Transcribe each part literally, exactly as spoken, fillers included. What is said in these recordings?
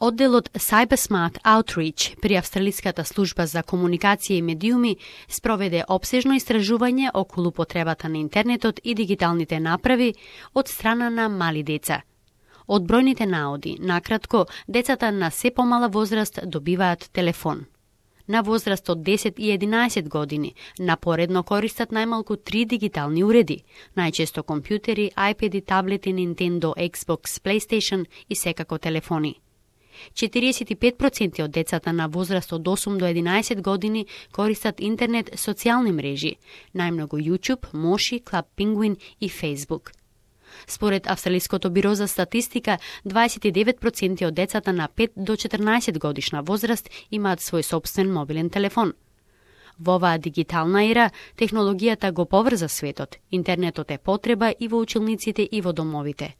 Одделот Cybersmart Outreach при Австралиската служба за комуникација и медиуми спроведе опсежно истражување околу потребата на интернетот и дигиталните направи од страна на мали деца. Од бројните наоди, накратко, децата на се помала возраст добиваат телефон. На возраст од десет и единаесет години напоредно користат најмалку три дигитални уреди, најчесто компјутери, iPad-и, таблети, Nintendo, Xbox, PlayStation и секако телефони. четириесет и пет проценти од децата на возраст од осум до единаесет години користат интернет социјални мрежи, најмногу YouTube, Moshi, Club Penguin и Facebook. Според Австралиското биро за статистика, дваесет и девет проценти од децата на пет до четрнаесет годишна возраст имаат свој собствен мобилен телефон. Во оваа дигитална ера, технологијата го поврза светот, интернетот е потреба и во училниците и во домовите.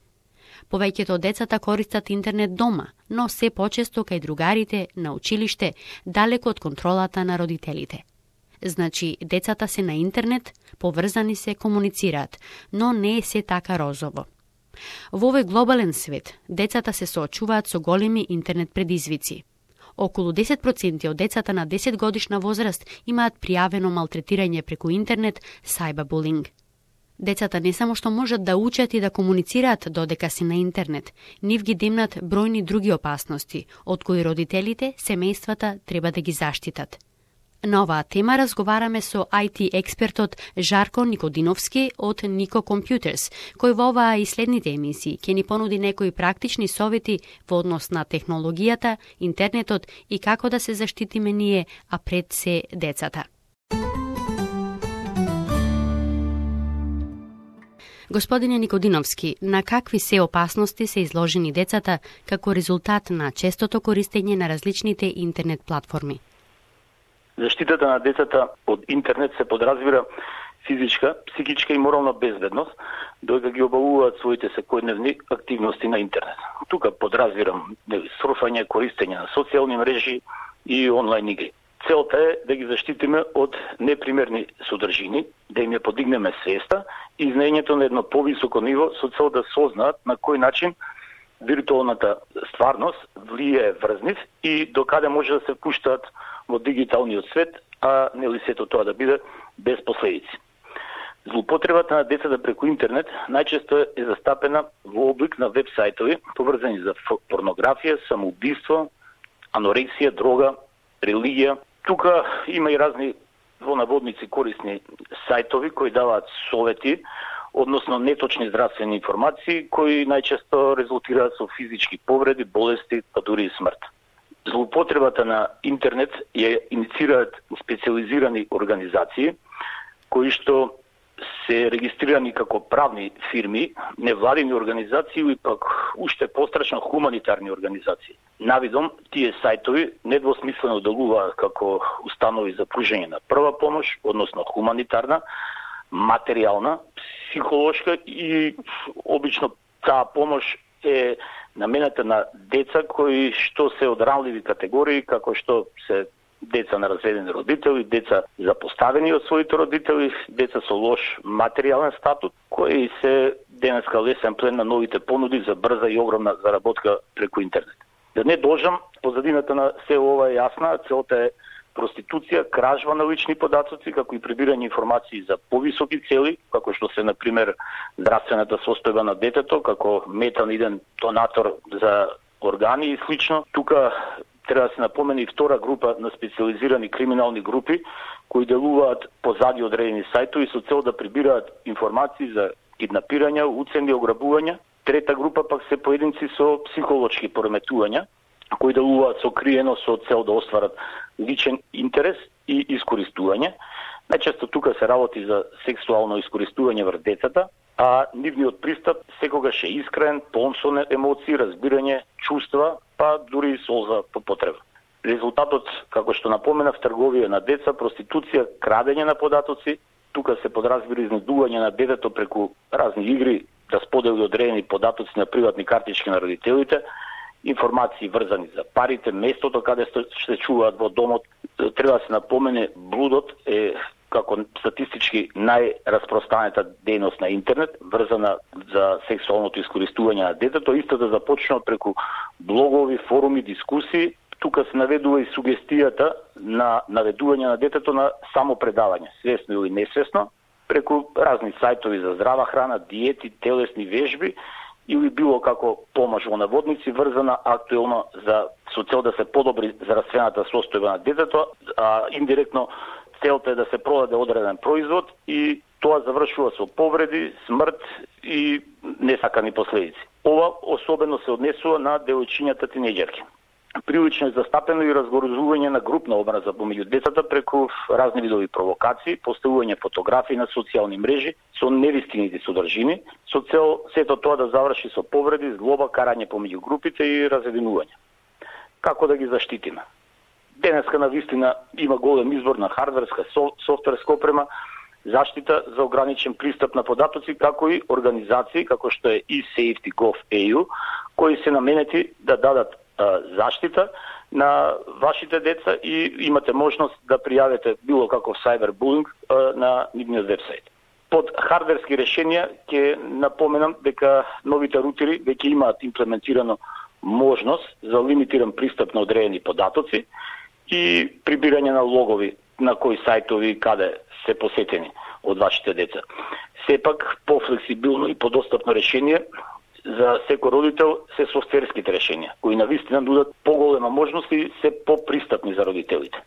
Повеќето од децата користат интернет дома, но се почесто кај другарите, на училиште, далеку од контролата на родителите. Значи, децата се на интернет, поврзани се, комуницираат, но не е се така розово. Во овој глобален свет, децата се соочуваат со големи интернет предизвици. Околу десет проценти од децата на десет годишна возраст имаат пријавено малтретирање преку интернет, cyberbullying. Децата не само што можат да учат и да комуницираат додека се на интернет, нив ги демнат бројни други опасности, од кои родителите, семејствата треба да ги заштитат. На оваа тема разговараме со ай ти експертот Жарко Никодиновски од Nico Computers, кој во оваа и следните емисии ќе ни понуди некои практични совети во однос на технологијата, интернетот и како да се заштитиме ние, а пред се децата. Господине Никодиновски, на какви се опасности се изложени децата како резултат на честото користење на различните интернет платформи? Заштитата на децата од интернет се подразбира физичка, психичка и морална безбедност, додека ги обавуваат своите секојдневни активности на интернет. Тука подразбирам сурфање, користење на социјални мрежи и онлайн игри. Целта е да ги заштитиме од непримерни содржини, да им ја подигнеме свеста и изнаењето на едно повисоко ниво со цел да сознаат на кој начин виртуелната стварност влијае врз нив и докаде може да се впуштаат во дигиталниот свет, а нели сето тоа да биде без последици. Злоупотребата на децата преку интернет најчесто е застапена во облик на веб-сајтови поврзани за порнографија, самоубиство, анорексија, дрога, религија. Тука има и разни во наводници корисни сајтови кои даваат совети, односно неточни здравствени информации кои најчесто резултираат со физички повреди, болести, па дури и смрт. Злоупотребата на интернет ја иницираат специализирани организации кои што се регистрирани како правни фирми, невладини организации и пак уште пострашно хуманитарни организации. Навидом, тие сајтови недвосмислено делуваат како установи за пружење на прва помош, односно хуманитарна, материјална, психолошка и обично таа помош е намената на деца кои што се од ранливи категории, како што се деца на разведени родители, деца запоставени од своите родители, деца со лош материјален статут, кои се денеска лесен плен на новите понуди за брза и огромна заработка преку интернет. Да не должам, позадината на се ова е јасна, целта е проституција, кражба на лични податоци, како и прибирање информации за повисоки цели, како што се, например, здравствената состојба на детето, како метан иден донатор за органи и слично. Тука треба да се напомене и втора група на специализирани криминални групи, кои делуваат позади одредени сајтови со цел да прибираат информации за киднапирања, уцени, ограбувања. Трета група пак се поединци со психолошки пореметувања, кои делуваат сокриено со цел да остварат личен интерес и искористување. Најчесто тука се работи за сексуално искористување врз децата, а нивниот пристап секогаш е искрен, полн со емоции, разбирање, чувства, па дури и солза по потреба. Резултатот, како што напоменав, трговија на деца, проституција, крадење на податоци, тука се подразбира изнудување на детето преку разни игри, да сподели одредени податоци на приватни картички на родителите, информации врзани за парите, местото каде се чуваат во домот. Треба да се напомене, блудот е како статистички најраспространета дејност на интернет, врзана за сексуалното искористување на детето, исто да започнува преку блогови, форуми, дискусии. Тука се наведува и сугестијата на наведување на детето на самопредавање, свесно или несвесно, преку разни сајтови за здрава храна, диети, телесни вежби или било како помош во наводници, врзана актуелно за со цел да се подобри здравствената состојба на детето, а индиректно целта е да се продаде одреден производ и тоа завршува со повреди, смрт и несакани последици. Ова особено се однесува на девојчињата тинејџерки. Прилично е застапено и разгорзување на групна образа помеѓу децата преку разни видови провокации, поставување фотографии на социјални мрежи со невистинити содржини, со цел сето тоа да заврши со повреди, злоба, карање помеѓу групите и разединување. Како да ги заштитиме? Денеска на вистина има голем избор на хардверска, софтверска опрема, заштита за ограничен пристап на податоци, како и организации како што е и Safety точка gov точка e u, кои се наменети да дадат заштита на вашите деца и имате можност да пријавите било каков сайбербулинг на нивниот вебсайт. Под хардверски решенија ќе напоменам дека новите рутери веќе имаат имплементирано можност за лимитиран пристап на одредени податоци и прибирање на логови на кои сајтови каде се посетени од вашите деца. Сепак пофлексибилно и подостапно решение за секој родител се софтверските решенија, кои навистина нудат поголема можност и се попристапни за родителите.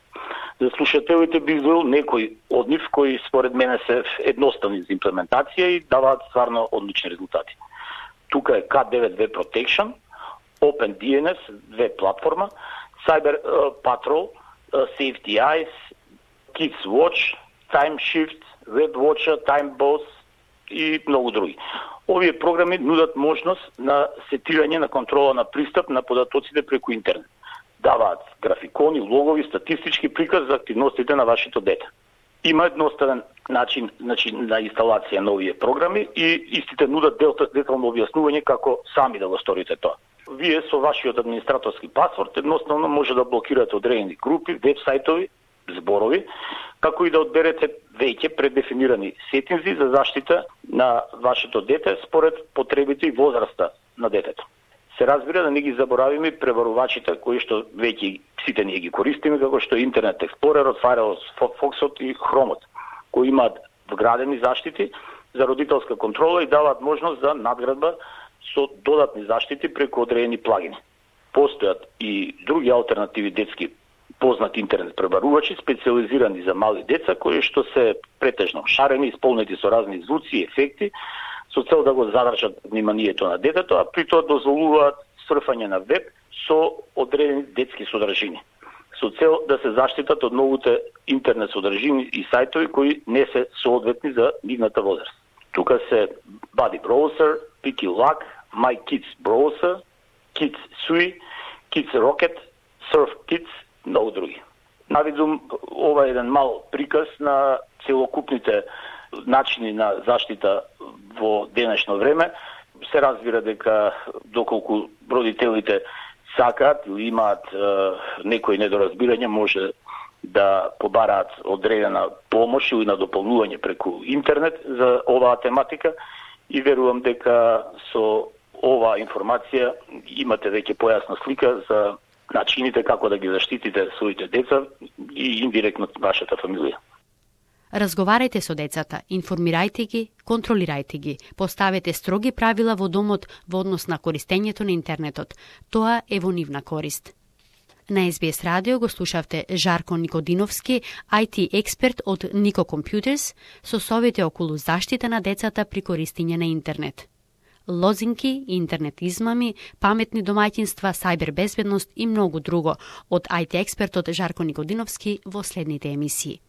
За слушателите би извел некои од нив кои според мене се едноставни за имплементација и даваат стварно одлични резултати. Тука е К девет веб Protection, OpenDNS, веб платформа, Cyber uh, Patrol, uh, Safety Eyes, Kids Watch, TimeShift, WebWatcher, TimeBoss и многу други. Овие програми нудат можност на сетирање на контрола на пристап на податоците преку интернет. Даваат графикони, логови, статистички приказ за активностите на вашето дете. Има едноставен начин, начин на инсталација на овие програми и истите нудат детално објаснување како сами да го сторите тоа. Вие со вашиот администраторски пасворд едноставно може да блокирате одредени групи, веб-сајтови, зборови, како и да одберете веќе преддефинирани сетинзи за заштита на вашето дете според потребите и возраста на детето. Се разбира да не ги заборавиме преварувачите кои што веќе сите ние ги користиме, како што Интернет Експлорерот, Firefoxот и Хромот, кои имаат вградени заштити за родителска контрола и даваат можност за надградба со додатни заштити преку одредени плагини. Постојат и други алтернативи детски познати интернет пребарувачи, специализирани за мали деца, кои што се претежно шарени, исполнети со разни звуци и ефекти, со цел да го задржат вниманието на детето, а при тоа дозволуваат срфање на веб со одредени детски содржини, со цел да се заштитат од новите интернет содржини и сајтови кои не се соодветни за нивната возраст. Тука се Buddy Browser, Picky Luck, My Kids Browser, Kids Sui, Kids Rocket, Surf Kids, многу други. Навидум ова е еден мал приказ на целокупните начини на заштита во денешно време. Се разбира дека доколку родителите сакаат или имаат е, некои недоразбирање, може да побараат одредена помош или на дополнување преку интернет за оваа тематика и верувам дека со оваа информација имате веќе појасна слика за начините како да ги заштитите своите деца и индиректно вашата фамилија. Разговарајте со децата, информирајте ги, контролирајте ги, поставете строги правила во домот во однос на користењето на интернетот. Тоа е во нивна корист. На Ес Би Ес радио го слушавте Жарко Никодиновски, ај ти експерт од Nico Computers, со совети околу заштита на децата при користење на интернет. Лозинки, интернет измами, паметни домаќинства, сајбер безбедност и многу друго од ај ти експертот Жарко Никодиновски во следните емисии.